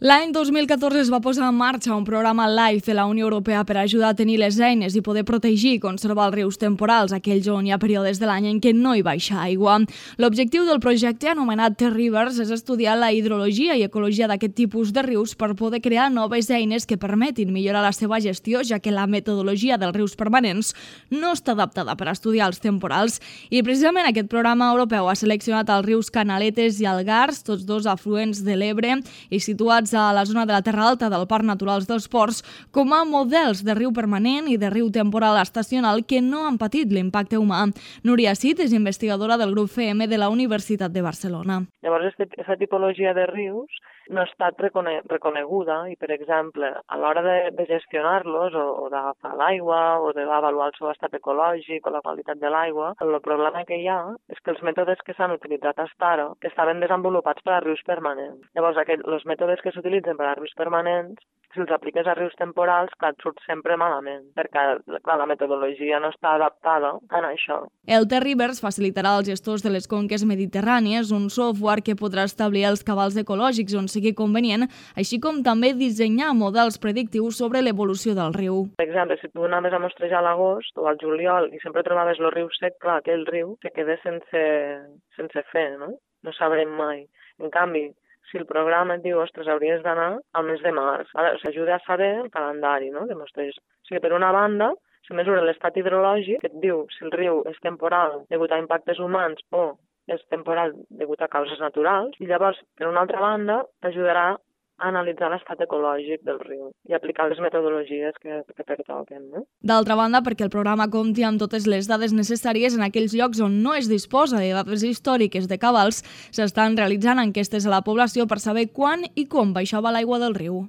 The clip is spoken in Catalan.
L'any 2014 es va posar en marxa un programa LIFE de la Unió Europea per ajudar a tenir les eines i poder protegir i conservar els rius temporals, aquells on hi ha períodes de l'any en què no hi baixa aigua. L'objectiu del projecte, anomenat T-Rivers, és estudiar la hidrologia i ecologia d'aquest tipus de rius per poder crear noves eines que permetin millorar la seva gestió, ja que la metodologia dels rius permanents no està adaptada per estudiar els temporals. I precisament aquest programa europeu ha seleccionat els rius Canaletes i Algars, tots dos afluents de l'Ebre i situats a la zona de la Terra Alta del Parc Natural dels Ports, com a models de riu permanent i de riu temporal estacional que no han patit l'impacte humà. Núria Cid és investigadora del grup FEM de la Universitat de Barcelona. Llavors, aquesta tipologia de rius no ha estat reconeguda i, per exemple, a l'hora de gestionar-los o d'agafar l'aigua o d'avaluar el seu estat ecològic o la qualitat de l'aigua, el problema que hi ha és que els mètodes que s'han utilitzat fins ara estaven desenvolupats per a rius permanents. Llavors, els mètodes que s'utilitzen per a rius permanents, si els apliques a rius temporals, clar, et surt sempre malament, perquè clar, la metodologia no està adaptada a això. El T-Rivers facilitarà als gestors de les conques mediterrànies un software que podrà establir els cabals ecològics on sigui convenient, així com també dissenyar models predictius sobre l'evolució del riu. Per exemple, si tu anaves a mostrejar a l'agost o al juliol i sempre trobaves el riu sec, clar, aquell riu se queda sense fer, no? No sabrem mai. En canvi, si el programa et diu, ostres, hauries d'anar al mes de març, s'ajuda a saber el calendari, no? De mostreig. O sigui, per una banda, se mesura l'estat hidrològic, que et diu si el riu és temporal degut a impactes humans o és temporal degut a causes naturals, i llavors, per una altra banda, t'ajudarà a analitzar l'estat ecològic del riu i aplicar les metodologies que pertoquen. No? D'altra banda, perquè el programa compti amb totes les dades necessàries en aquells llocs on no es disposa de dades històriques de cabals, s'estan realitzant enquestes a la població per saber quan i com baixava l'aigua del riu.